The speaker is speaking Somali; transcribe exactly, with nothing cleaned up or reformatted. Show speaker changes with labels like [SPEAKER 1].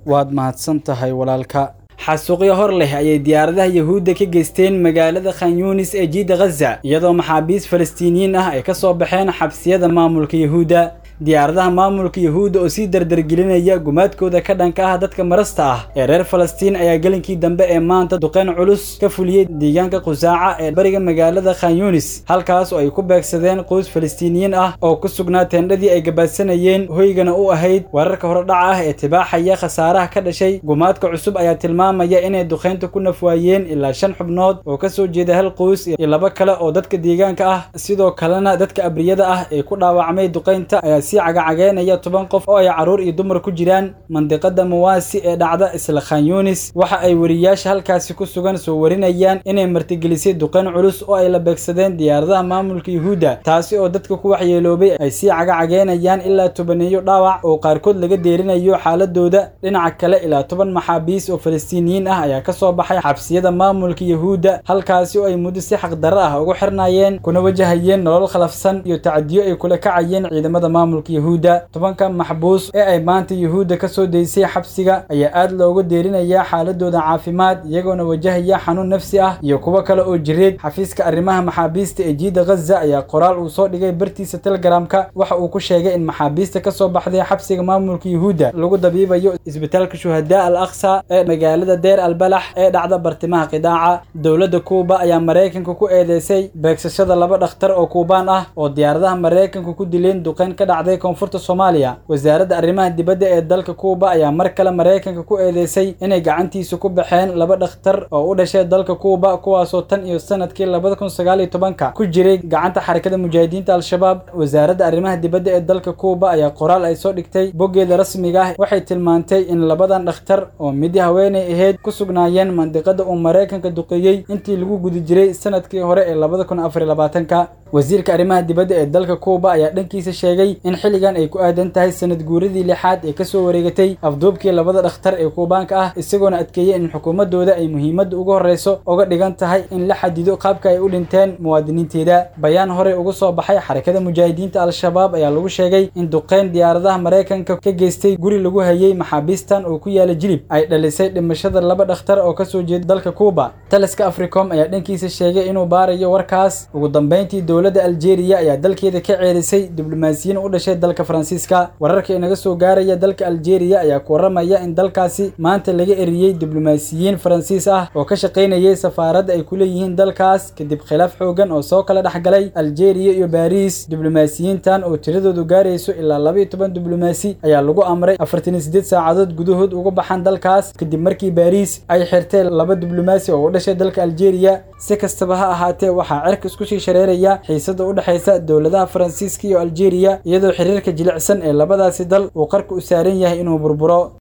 [SPEAKER 1] Waad mahadsan tahay walaalka. Xasuuqyo hor leh ayay diyaaradaha Yahuudda ka geysteen magaalada Khan Yunis ee jiida Gaza, iyadoo maxaabiis Falastiiniyiin ah ay ka soo baxeen xabsiyada maamulka Yahuudda. Diyaaradaha maamulka Yahuudda oo sii dardargelinaya gumaadkooda ka dhanka ah dadka marasta ah ee reer Falastiin ayaa gelinkii dambe ee maanta duqeyn culus ka fuliyey deegaanka Qusaaca ee bariga magaalada Khan Yunis, halkaas oo ay ku beegsadeen qoys Falastiiniyiin ah oo ku sugnaa teendhadii ay gabaadsanayeen hoygana u ahayd. Wararka horedhaca ah ee tibaaxaya khasaaraha ka dhashay gumaadka cusub ayaa tilmaamaya inay duqeynta ku nafwaayeen ilaa shan xubnood oo ka soo jeeda hal qoys iyo laba kale oo dadka deegaanka ah. Sidoo kalena dadka abriyada ah ee ku dhaawacmay duqeynta ayaa sii cagacagaynaya toban qof oo ay carruur iyo dumar ku jiraan. Mandiqada Muwaasi ee dhacda isla Khan Yunis waxa ay wariyaasha halkaasi ku sugan soo warinayaan inay martigelisay duqeyn culus oo ay la beegsadeen diyaaradaha maamulka Yahuudda, taasi oo dadka ku waxyeeloobay ay sii cagacagaynayaan ilaa tobaneeyo dhaawac oo qaarkood laga deerinayo xaaladooda. Dhinaca kale, ilaa toban maxaabiis oo Falastiiniyiin ah ayaa ka soo baxay xabsiyada maamulka Yahuudda, halkaasi oo ay muddo si xaqdarro ah ugu xirnaayeen kuna wajahayeen nolol khalafsan iyo tacadiyo ay kula kacayeen ciidamada maamulka Yahuudda. Tobanka maxbuus ee ay maanta Yahuudda ka soo deysay xabsiga ayaa aad looga deerinayaa xaaladooda caafimaad, iyagoona wajahaya xanuun nafsi ah iyo kuwo kale oo jireed. Xafiiska arrimaha maxaabiista ee jiida Gaza ayaa qoraal uu soo dhigay bartiisa Telegramka waxa uu ku sheegay in maxaabiista ka soo baxday xabsiga maamulka Yahuudda lagu dabiibayo isbitaalka Shuhadaa Al Aqsa ee magaalada Deir al Balax ee dhacda bartimaha qidaaca. Dowladda Kuuba ayaa Mareykanka ku eedeysay beegsashada laba dhakhtar oo Kuubaan ah oo diyaaradaha Mareykanka ku dileen duqeyn ka dhacday koonfurta Soomaaliya. Wasaaradda arrimaha dibadda ee dalka Kuuba ayaa mar kale Mareykanka ku eedeysay inay gacantiisa ku baxeen laba dhakhtar oo u dhashay dalka Kuuba, kuwaasoo tan iyo sanadkii labada kun sagaal iyo tobanka ku jiray gacanta xarakada mujaahidiinta Al-Shabaab. Wasaaradda arrimaha dibadda ee dalka Kuuba ayaa qoraal ay soo dhigtay boggeeda rasmiga ah waxay tilmaantay in labadan dhakhtar oo mid haweeney ahayd ku sugnaayeen mandiqada uu Mareykanka duqeeyey intii lagu guda jiray sanadkii hore ee labada kun afar iyo labaatanka. Wasiirka arrimaha dibadda ee dalka Kuuba ayaa dhankiisa sheegay in xilligan ay ku aadan tahay sanad guuradii lixaad ee kasoo wareegatay afduubkii labada dhakhtar ee Kuubaanka ah, isagoona adkeeyey in xukuumadooda ay muhiimadda ugu horreyso uga dhigan tahay in la xadido qaabka ay u dhinteen muwaadiniinteeda. Bayaan horey uga soo baxay xarakada mujaahidiinta Al-Shabaab ayaa lagu sheegay in duqeyn diyaaradaha Mareykanka ka geystay guri lagu hayay maxaabiistan oo ku yaala Jilib ay dhalisay dhimashada laba dhakhtar oo kasoo jeeda dalka Kuuba. Taliska Africom ayaa dhankiisa sheegay inuu baarayo warkaas. Ugu dambeyntii, dowladda Algeria ayaa dalkeeda ka ceerisay diblomaasiyiin u dhashay dalka Faransiiska. Wararka inaga soo gaaraya dalka Algeria ayaa ku waramaya in dalkaasi maanta laga eriyey diblomaasiyiin Faransiis ah oo ka shaqaynayay safaaradda ay ku leeyihiin dalkaas kadib khilaaf xoogan oo soo kala dhexgalay Algeria iyo Paris. Diblomaasiyiintan oo tiradoodu gaarayso ilaa laba iyo toban diblomaasi ayaa lagu amray afartan iyo siddeed saacadood gudahood uga baxaan dalkaas kadib markii Paris ay xirtay laba diblomaasi oo u dhashay dalka Algeria. Si kastaba ha ahaatee, waxaa cirka isku sii shareeraya xiisada u dhexaysa dowladaha Faransiiska iyo Algeria, iyadoo xiriirka jilicsan ee labadaasi dal uu qarka u saaran yahay inuu burburo.